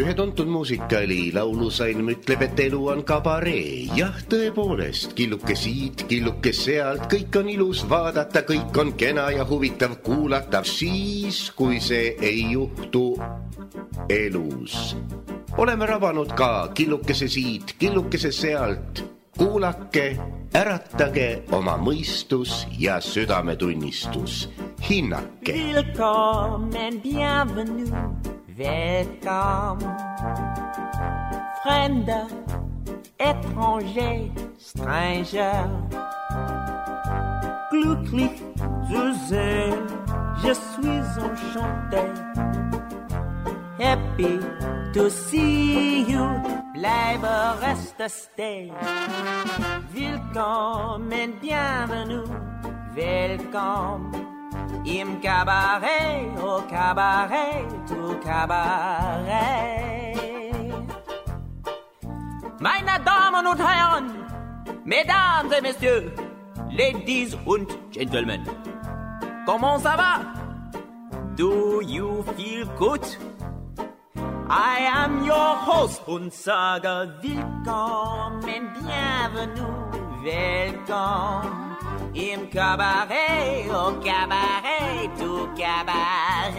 Ühe tuntud muusikali laulusalm ütleb, et elu on kabaree. Jah, tõepoolest, killuke siit, killuke sealt, kõik on ilus vaadata, kõik on kena ja huvitav kuulata, siis kui see ei juhtu elus. Oleme rabanud ka killukese siit, killukese sealt. Kuulake, äratage oma mõistus ja südametunnistus. Hinnake. Willkommen, bienvenue, welcome. Fremder, étranger, stranger. Glücklich zu sehen, je suis enchanté. Happy to see you, bleibe reste stay. Willkommen, bienvenue, welcome. Im Cabaret, au Cabaret, au Cabaret. Meine Damen und Herren, Mesdames et Messieurs, Ladies und Gentlemen, comment ça va? Do you feel good? I am your host und sage willkommen, bienvenue, welcome. Im Cabaret, au Cabaret, au Cabaret.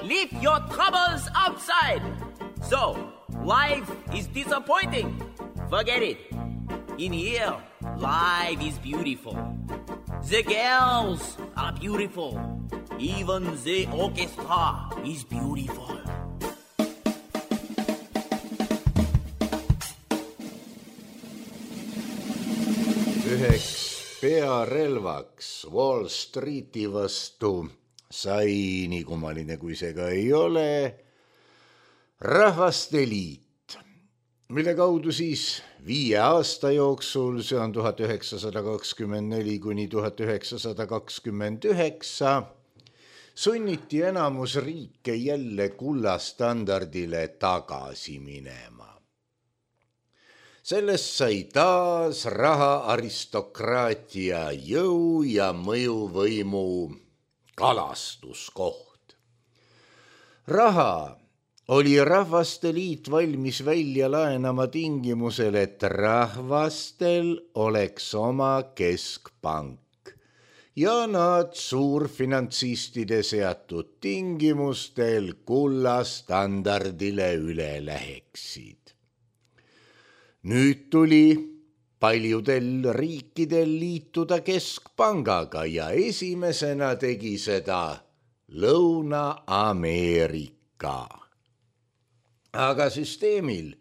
Leave your troubles outside. So, life is disappointing. Forget it. In here, life is beautiful. The girls are beautiful. Even the orchestra is beautiful. Üheks pearelvaks Wall Streeti vastu sai, nii kummaline kui see ka ei ole, Rahvaste Liit, mille kaudu siis 5 aasta jooksul, see on 1924 kuni 1929, sunniti enamus riike jälle kullastandardile tagasi minema. Sellest sai taas raha aristokraatia jõu ja mõjuvõimu kalastuskoht. Raha oli Rahvaste Liit valmis välja laenama tingimusel, et rahvastel oleks oma keskpank ja nad suurfinantsistide seatud tingimustel kullastandardile üle läheksid. Nüüd tuli paljudel riikidel liituda keskpangaga ja esimesena tegi seda Lõuna-Ameerika. Aga süsteemil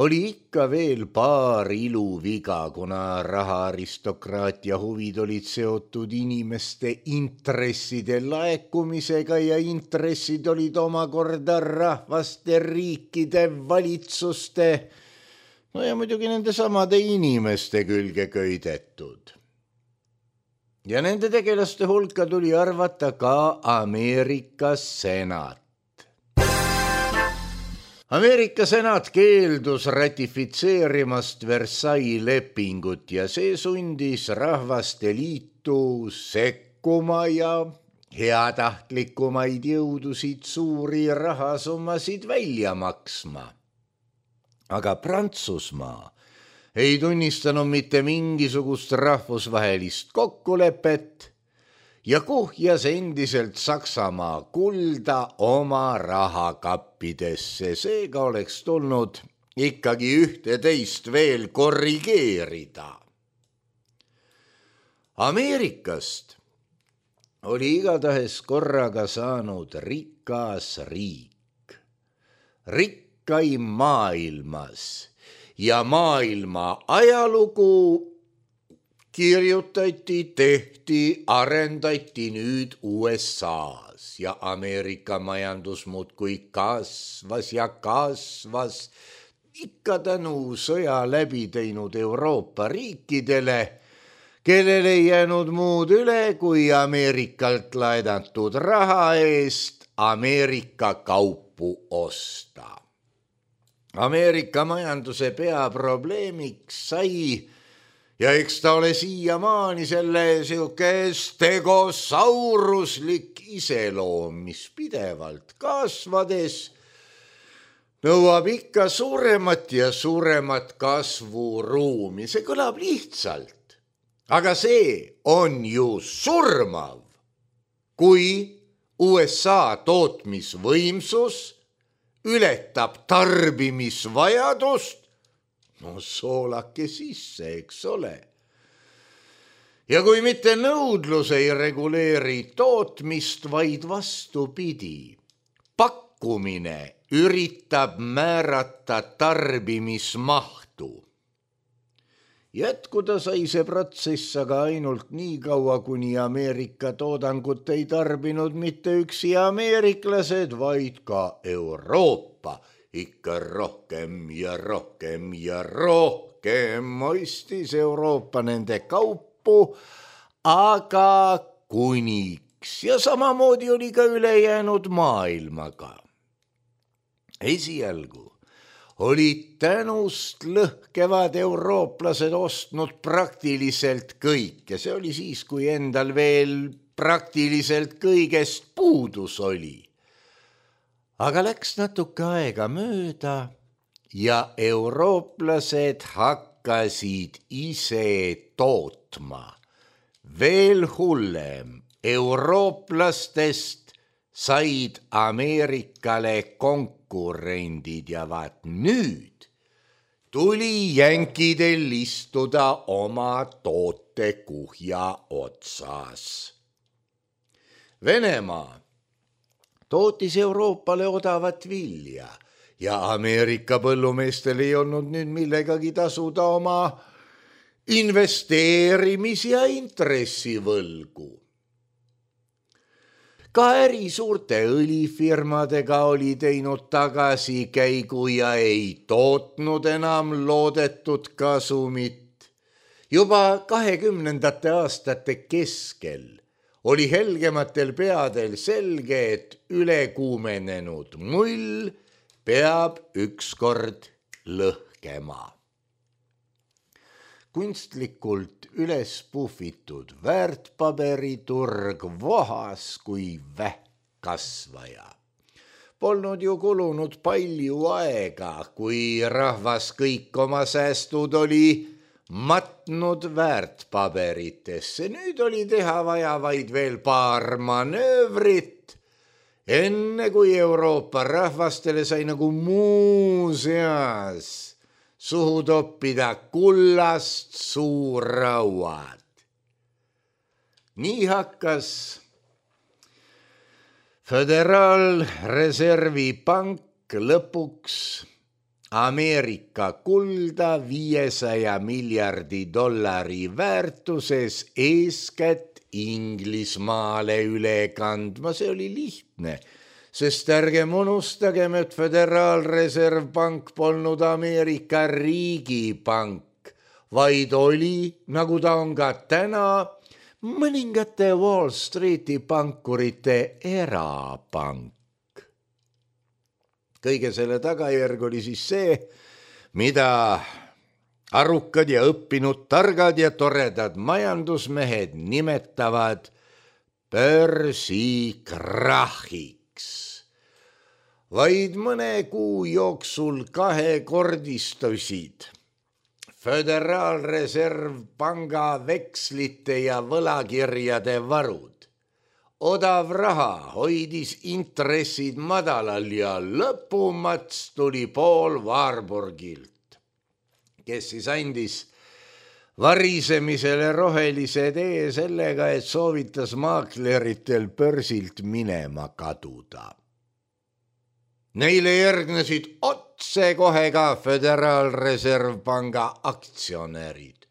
oli ikka veel paar iluviga, kuna rahaaristokraatia huvid olid seotud inimeste intresside laekumisega ja intressid olid omakorda rahvaste riikide valitsuste, no ja muidugi nende samade inimeste külge köidetud. Ja nende tegelaste hulka tuli arvata ka Ameerika senat. Ameerika senat keeldus ratifitseerimast Versailles lepingut ja see sundis Rahvaste Liitu sekkuma ja heatahtlikumaid jõudusid suuri rahasummasid välja maksma. Aga Prantsusmaa ei tunnistanud mitte mingisugust rahvusvahelist kokkulepet ja kuhjas endiselt Saksamaa kulda oma rahakappidesse. Seega oleks tulnud ikkagi 11 veel korrigeerida. Ameerikast oli igatahes korraga saanud rikas riik. Rikkaim maailmas ja maailma ajalugu kirjutati, tehti, arendati nüüd USAs ja Ameerika majandus muudkui kasvas ja kasvas ikka tänu sõja läbi teinud Euroopa riikidele, kellel ei jäänud muud üle kui Ameerikalt laenatud raha eest Ameerika kaupu osta. Ameerika majanduse peaprobleemiks sai ja eks ta ole siiamaani selle siuke stegosauruslik iseloom, mis pidevalt kasvades nõuab ikka suuremat ja suuremat kasvuruumi. See kõlab lihtsalt, aga see on ju surmav, kui USA tootmisvõimsus ületab tarbimisvajadust, no soolake sisse, eks ole. Ja kui mitte nõudlus ei reguleeri tootmist, vaid vastupidi, pakkumine üritab määrata tarbimismahtu. Jätkuda sai see protsess aga ainult nii kaua, kuni Ameerika toodangut ei tarbinud mitte üksi ameeriklased, vaid ka Euroopa. Ikka rohkem ja rohkem ja rohkem ostis Euroopa nende kaupu, aga kuniks ja samamoodi oli ka ülejäänud maailmaga. Esialgu olid tänust lõhkevad eurooplased ostnud praktiliselt kõik ja see oli siis, kui endal veel praktiliselt kõigest puudus oli. Aga läks natuke aega mööda ja eurooplased hakkasid ise tootma. Veel hullem, eurooplastest said Ameerikale konkurendid ja vaat nüüd tuli jänkidel istuda oma tootekuhja otsas. Venemaa tootis Euroopale odavat vilja ja Ameerika põllumeestel ei olnud nüüd millegagi tasuda oma investeerimis- ja intressivõlgu. Ka äri suurte õlifirmadega oli teinud tagasikäigu ja ei tootnud enam loodetud kasumit. Juba 20. aastate keskel oli helgematel peadel selge, et ülekuumenenud mull peab ükskord lõhkema. Kunstlikult üles puhvitud väärtpaberiturg vohas kui vähkkasvaja. Polnud ju kulunud palju aega, kui rahvas kõik oma säästud oli matnud väärtpaberitesse. Nüüd oli teha vaja vaid veel paar manöövrit, enne kui Euroopa rahvastele sai nagu muuseas suhu toppida kullast suurrauad. Nii hakkas Föderaalreservi pank lõpuks Ameerika kulda 500 miljardi dollari väärtuses eeskätt Inglismaale üle kandma. See oli lihtne, sest ärgem unustagem, et Föderaalreservpank polnud Ameerika riigipank, vaid oli, nagu ta on ka täna, mõningate Wall Streeti pankurite erapank. Kõige selle tagajärg oli siis see, mida arukad ja õppinud, targad ja toredad majandusmehed nimetavad börsikrahhiks. Vaid mõne kuu jooksul kahekordistusid Föderaalreservpanga vekslite ja võlakirjade varud. Odav raha hoidis intressid madalal ja lõpumats tuli Paul Warburgilt, kes siis andis varisemisele rohelise tee sellega, et soovitas maakleritel börsilt minema kaduda. Neile järgnesid otsekohe ka Föderaalreservpanga aktsionärid.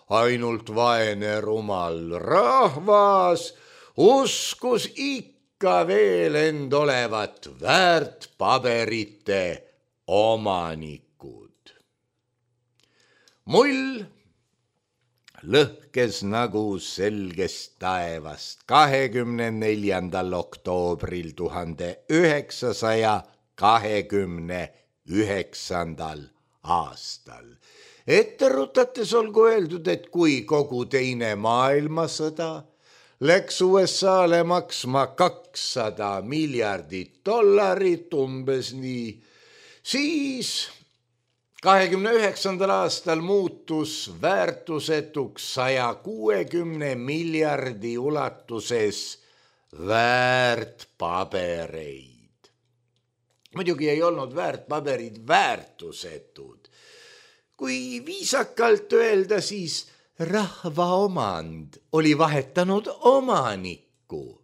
Ainult vaene rumal rahvas uskus ikka veel end olevat väärtpaberite omanikud. Mull lõhkes nagu selgest taevast 24. oktoobril 1929. aastal. Ette rutates olgu öeldud, et kui kogu teine maailmasõda läks USA-le maksma $200 miljardit umbes nii, siis 29. aastal muutus väärtusetuks 160 miljardi ulatuses väärtpabereid. Muidugi ei olnud väärtpaberid väärtusetud. Kui viisakalt öelda, siis rahva omand oli vahetanud omanikku.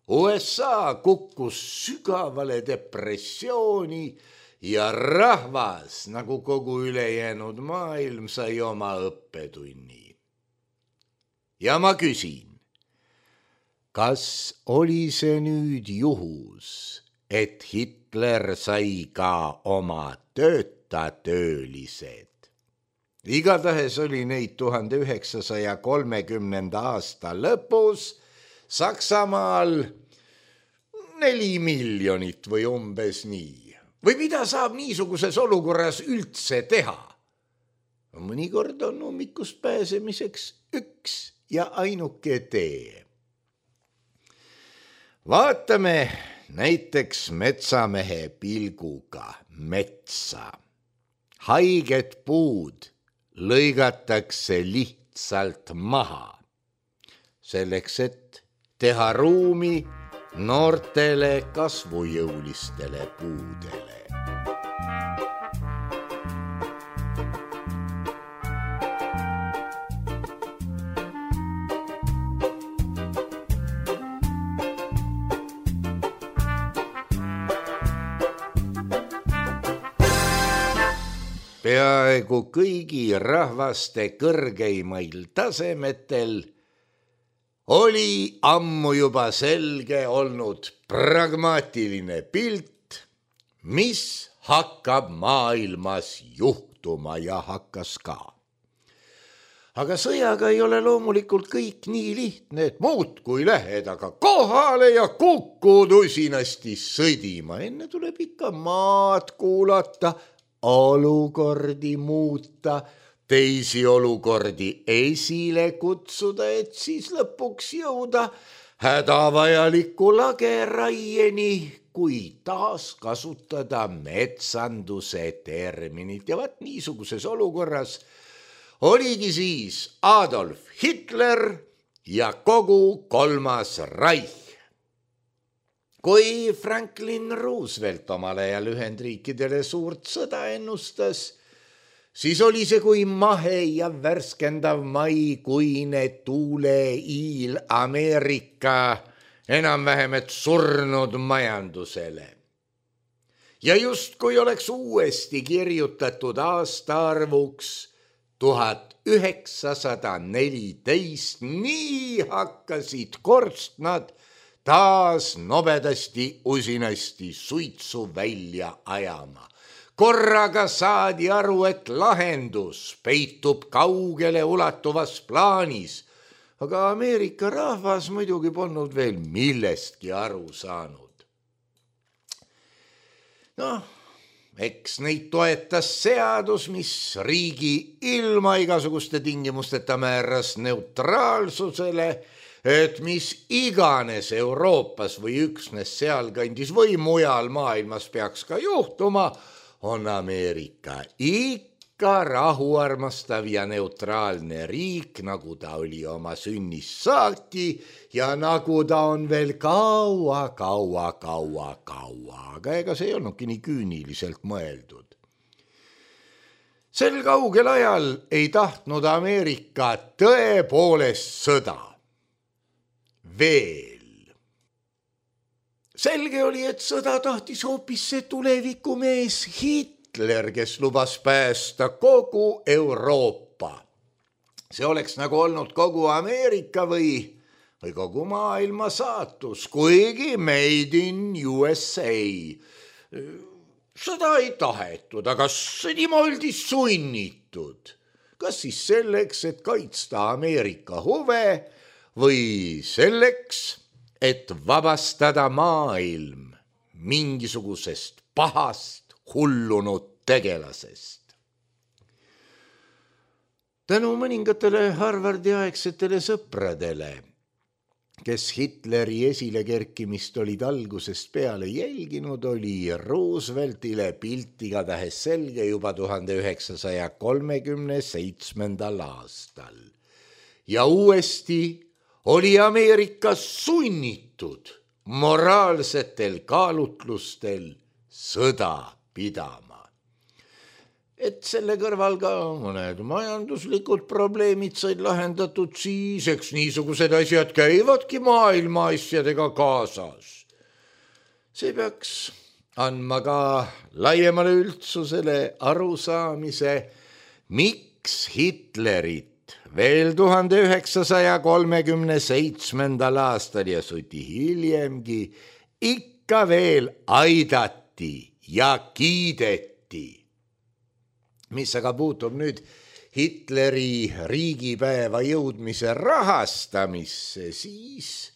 USA kukkus sügavale depressiooni ja rahvas, nagu kogu ülejäänud maailm, sai oma õppetunni. Ja ma küsin, kas oli see nüüd juhus, et Hitler sai ka oma töölised? Igatahes oli neid 1930. aasta lõpus Saksamaal 4 miljonit või umbes nii. Või mida saab niisuguses olukorras üldse teha? Mõnikord on hommikust pääsemiseks üks ja ainuke tee. Vaatame näiteks metsamehe pilguga metsa. Haiged puud lõigatakse lihtsalt maha, selleks et teha ruumi noortele kasvujõulistele puudele. Peaaegu kõigi rahvaste kõrgeimail tasemetel oli ammu juba selge olnud pragmaatiline pilt, mis hakkab maailmas juhtuma ja hakkas ka. Aga sõjaga ei ole loomulikult kõik nii lihtne, et muudkui lähed aga kohale ja kukud usinasti sõdima. Enne tuleb ikka maad kuulata, olukordi muuta, teisi olukordi esile kutsuda, et siis lõpuks jõuda hädavajaliku lageraieni, kui taas kasutada metsanduse terminit. Ja vaat niisuguses olukorras oligi siis Adolf Hitler ja kogu kolmas Reich. Kui Franklin Roosevelt omal ajal Ühendriikidele suurt sõda ennustas, siis oli see kui mahe ja värskendav maikuine tuuleiil Ameerika enam-vähem et surnud majandusele. Ja just kui oleks uuesti kirjutatud aastaarvuks 1914, nii hakkasid korstnad taas nobedasti usinasti suitsu välja ajama. Korraga saadi aru, et lahendus peitub kaugele ulatuvas plaanis, aga Ameerika rahvas muidugi polnud veel millestki aru saanud. Eks neid toetas seadus, mis riigi ilma igasuguste tingimusteta määras neutraalsusele, et mis iganes Euroopas või üksnes sealkandis või mujal maailmas peaks ka juhtuma, on Ameerika ikka rahuarmastav ja neutraalne riik, nagu ta oli oma sünnist saati ja nagu ta on veel kaua. Aga ega see ei olnudki nii küüniliselt mõeldud. Sel kaugel ajal ei tahtnud Ameerika tõepoolest sõda. Veel. Selge oli, et sõda tahtis hoopis see tulevikumees Hitler, kes lubas päästa kogu Euroopa. See oleks nagu olnud kogu Ameerika või kogu maailma saatus, kuigi made in USA. Sõda ei tahetud, aga sõdima oldi sunnitud. Kas siis selleks, et kaitsta Ameerika huve, või selleks, et vabastada maailm mingisugusest pahast hullunud tegelasest. tänu mõningatele Harvardi aegsetele sõpradele, kes Hitleri esilekerkimist olid algusest peale jälginud, oli Rooseveltile pilt igatahes selge juba 1937. aastal. Ja uuesti oli Ameerika sunnitud moraalsetel kaalutlustel sõda pidama. Et selle kõrval ka mõned majanduslikud probleemid said lahendatud siis, eks niisugused asjad käivadki maailma asjadega kaasas. See peaks andma ka laiemale üldsusele arusaamise, miks Hitlerit veel 1937. aastal ja suti hiljemgi ikka veel aidati ja kiideti. Mis aga puutub nüüd Hitleri riigipäeva jõudmise rahastamisse, siis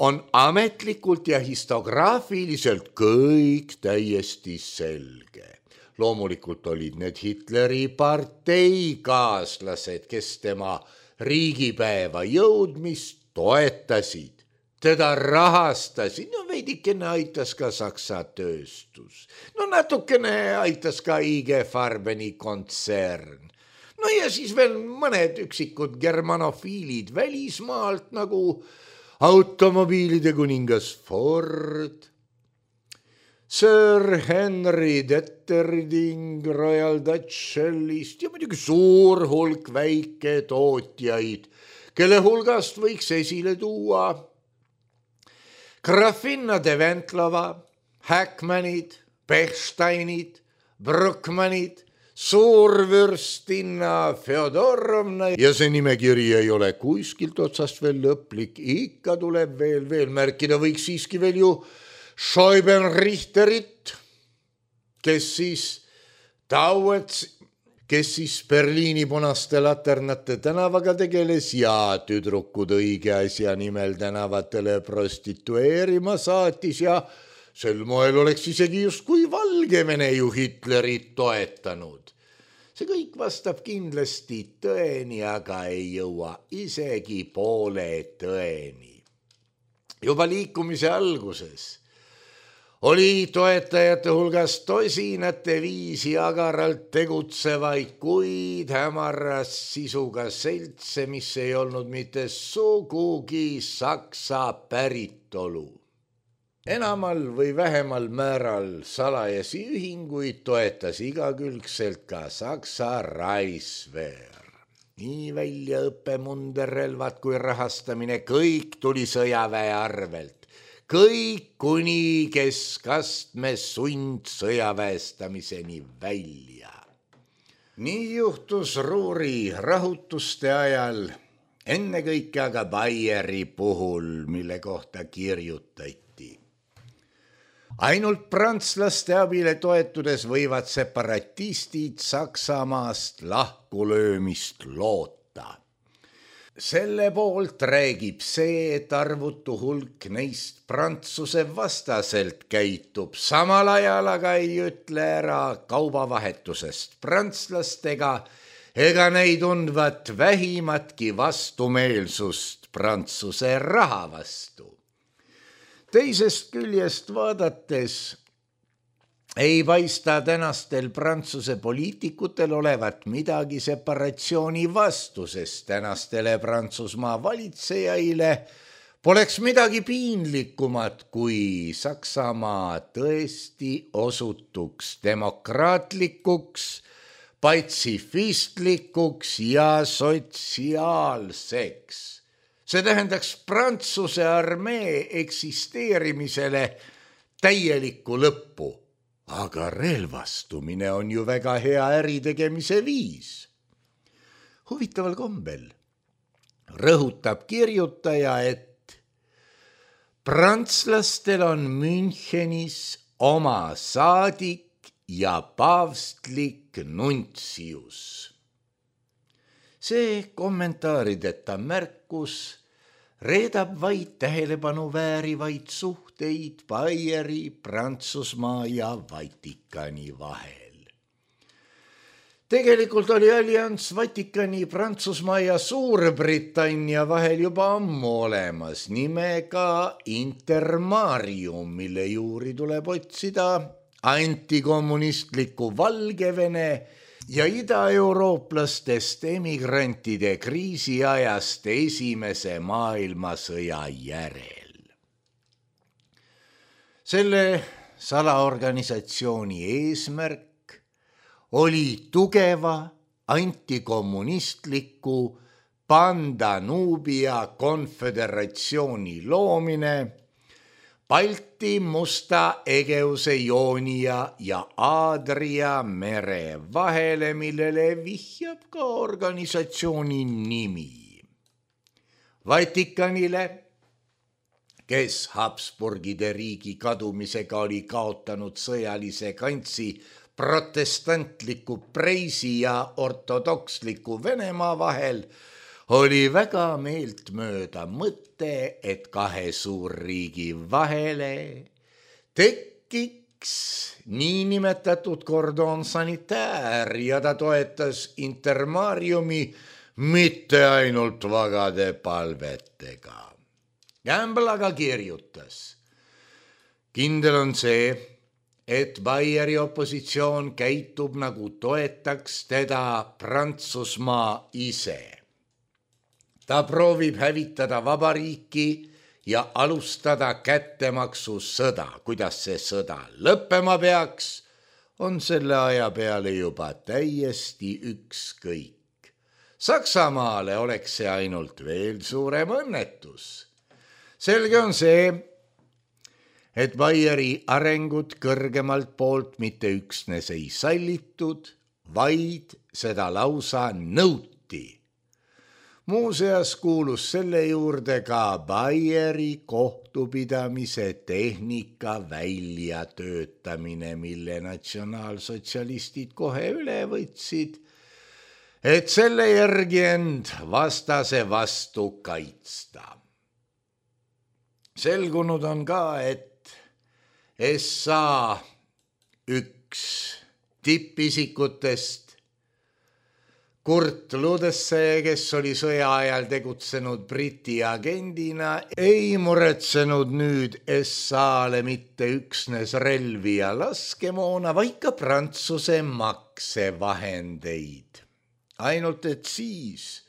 on ametlikult ja histograafiliselt kõik täiesti selge. Loomulikult olid need Hitleri parteikaaslased, kes tema riigipäeva jõudmist toetasid. Teda rahastasid, no veidikene aitas ka Saksa tööstus. No natukene aitas ka IG Farbeni kontsern. No ja siis veel mõned üksikud germanofiilid välismaalt nagu automobiilide kuningas Ford, Sir Henry Detterding Royal Dutch Shellist ja muidugi suur hulk väike tootjaid, kelle hulgast võiks esile tuua Grafinna de Ventlova, Hackmanid, Bechsteinid, Bruckmanid, suurvürstinna Fjodorovna ja see nimekiri ei ole kuskilt otsast veel lõplik, ikka tuleb veel märkida, võiks siiski veel ju Scheubenrichterit, kes siis Berliini punaste laternate tänavaga tegeles ja tüdrukud õige asja nimel tänavatele prostitueerima saatis ja sel moel oleks isegi justkui Valgevene ju Hitlerit toetanud. See kõik vastab kindlasti tõeni, aga ei jõua isegi poole tõeni. Juba liikumise alguses oli toetajate hulgas tosinate viisi agaralt tegutsevaid, kuid hämaras sisuga seltse, mis ei olnud mitte sugugi Saksa päritolu. Enamal või vähemal määral salajasi ühinguid toetas igakülgselt ka Saksa Reichswehr. Nii väljaõppe, munderrelvad kui rahastamine, kõik tuli sõjaväe arvelt. Kõik kuni keskastme sundsõjaväestamiseni välja. Nii juhtus Ruhri rahutuste ajal, ennekõike aga Bayeri puhul, mille kohta kirjutati. Ainult prantslaste abile toetudes võivad separatistid Saksamaast lahkulöömist loota. Selle poolt räägib see, et arvutu hulk neist Prantsuse vastaselt käitub, samal ajal aga ei ütle ära kaubavahetusest prantslastega ega neid tundvat vähimatki vastumeelsust Prantsuse raha vastu. Teisest küljest vaadates ei paista tänastel Prantsuse poliitikutel olevat midagi separatsiooni vastu, sest tänastele Prantsusmaa valitsejaile poleks midagi piinlikumat, kui Saksamaa tõesti osutuks demokraatlikuks, patsifistlikuks ja sotsiaalseks. See tähendaks Prantsuse armee eksisteerimisele täielikku lõppu. Aga relvastumine on ju väga hea äritegemise viis. Huvitaval kombel rõhutab kirjutaja, et prantslastel on Münchenis oma saadik ja paavstlik nuntsius. See kommentaarideta märkus reedab vaid tähelepanu väärivaid suhteid Bayeri, Prantsusmaa ja Vatikani vahel. Tegelikult oli allianss Vatikani, Prantsusmaa ja Suurbritannia vahel juba ammu olemas nimega Intermarium, mille juuri tuleb otsida antikommunistliku Valgevene ja idaeurooplastest emigrantide kriisiajast Esimese maailmasõja järel. Selle salaorganisatsiooni eesmärk oli tugeva antikommunistliku Pandanubia konföderatsiooni loomine Balti, Musta, Egeuse, Joonia ja Aadria mere vahele, millele vihjab ka organisatsiooni nimi. Vatikanile, kes Habsburgide riigi kadumisega oli kaotanud sõjalise kantsi protestantliku Preisi ja ortodoksliku Venemaa vahel, oli väga meeltmööda mõte, et kahe suurriigi vahele tekiks niinimetatud kordon sanitaire ja ta toetas Intermariumi mitte ainult vagade palvetega. Campbell aga kirjutas: kindel on see, et Bayeri opositsioon käitub nagu toetaks teda Prantsusmaa ise. Ta proovib hävitada vabariiki ja alustada kättemaksusõda. Kuidas see sõda lõppema peaks, on selle aja peale juba täiesti ükskõik. Saksamaale oleks see ainult veel suurem õnnetus. Selge on see, et Bayeri arengut kõrgemalt poolt mitte üksnes ei sallitud, vaid seda lausa nõuti. Muuseas kuulus selle juurde ka Bayeri kohtupidamise tehnika väljatöötamine, mille natsionaalsotsialistid kohe üle võtsid, et selle järgi end vastase vastu kaitsta. Selgunud on ka, et SA üks tippisikutest Kurt Ludesse, kes oli sõja ajal tegutsenud Briti agendina, ei muretsenud nüüd SA-le mitte üksnes relvi ja laskemoona, vaid ka Prantsuse maksevahendeid. Ainult et siis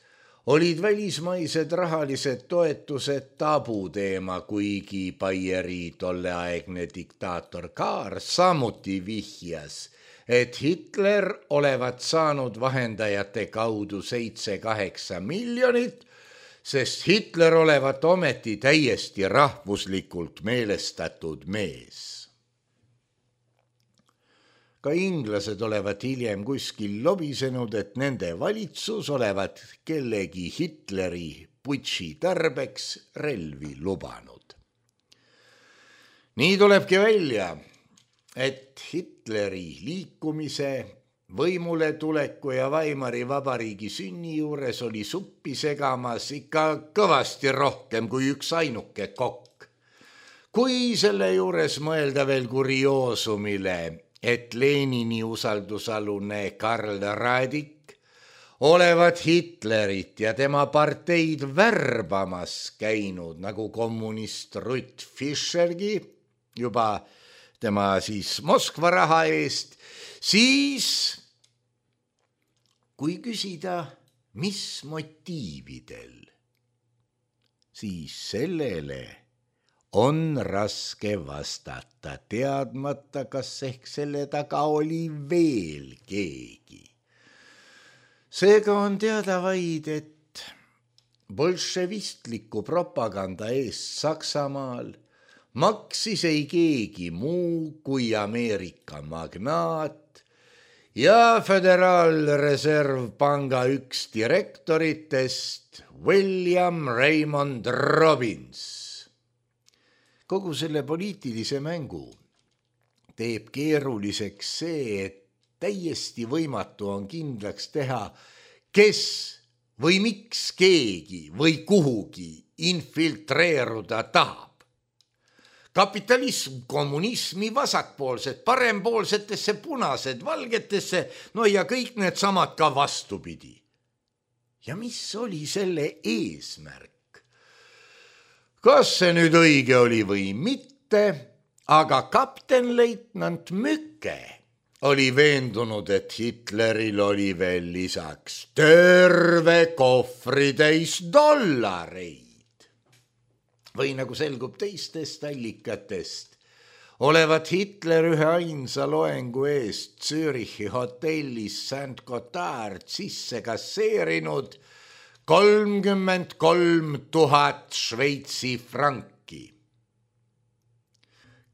olid välismaised rahalised toetused tabuteema, kuigi Bayeri tolleaegne diktaator Kahr samuti vihjas, et Hitler olevat saanud vahendajate kaudu 7-8 miljonit, sest Hitler olevat ometi täiesti rahvuslikult meelestatud mees. Ka inglased olevat hiljem kuskil lobisenud, et nende valitsus olevat kellegi Hitleri putši tarbeks relvi lubanud. Nii tulebki välja, et Hitleri liikumise, võimule tuleku ja Weimari vabariigi sünni juures oli suppi segamas ikka kõvasti rohkem kui üks ainuke kokk. Kui selle juures mõelda veel kurioosumile, et Lenini usaldusalune Karl Radik olevat Hitlerit ja tema parteid värbamas käinud nagu kommunist Ruth Fischergi, juba tema siis Moskva raha eest, siis kui küsida, mis motiividel, siis sellele on raske vastata, teadmata, kas ehk selle taga oli veel keegi. Seega on teada vaid, et bolševistliku propaganda eest Saksamaal maksis ei keegi muu kui Ameerika magnaat ja Föderaalreservpanga üks direktoritest William Raymond Robbins. Kogu selle poliitilise mängu teeb keeruliseks see, et täiesti võimatu on kindlaks teha, kes või miks keegi või kuhugi infiltreeruda tahab. kapitalism, kommunismi, vasakpoolsed, parempoolsetesse, punased, valgetesse, no ja kõik needsamad ka vastupidi. Ja mis oli selle eesmärk? Kas see nüüd õige oli või mitte, aga kaptenleitnant Mükke oli veendunud, et Hitleril oli veel lisaks terve kohvritäis dollareid. Või nagu selgub teistest allikatest, olevat Hitler ühe ainsa loengu eest Zürichi hotellis St. Gotthard sisse kasseerinud 33 000 Šveitsi franki.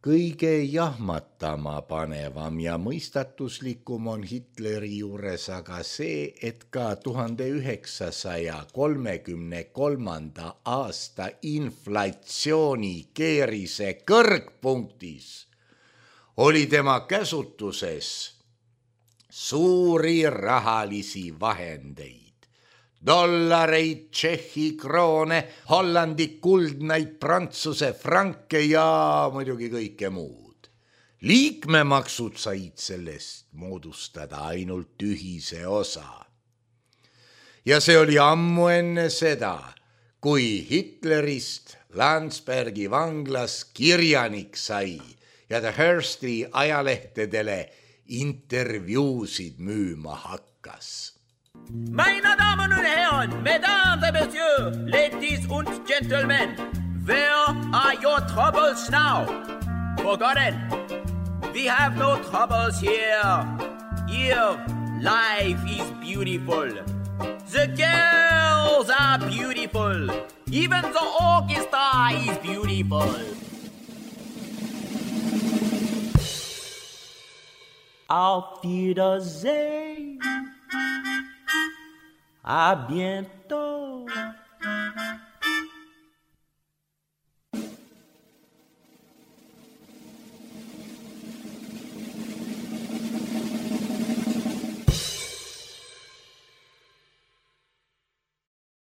Kõige jahmatama panevam ja mõistatuslikum on Hitleri juures aga see, et ka 1933. aasta inflatsiooni keerise kõrgpunktis oli tema käsutuses suuri rahalisi vahendeid. Dollareid, Tšehhi kroone, Hollandi kuldnaid, Prantsuse franke ja muidugi kõike muud. Liikmemaksud said sellest moodustada ainult ühise osa. Ja see oli ammu enne seda, kui Hitlerist Landsbergi vanglas kirjanik sai ja ta Hearsti ajalehtedele intervjuusid müüma hakkas. Meine Damen und Herren, Mesdames et Messieurs, ladies und gentlemen, where are your troubles now? Forgotten. We have no troubles here. Here, life is beautiful. The girls are beautiful. Even the orchestra is beautiful. Auf Wiedersehen. À bientôt.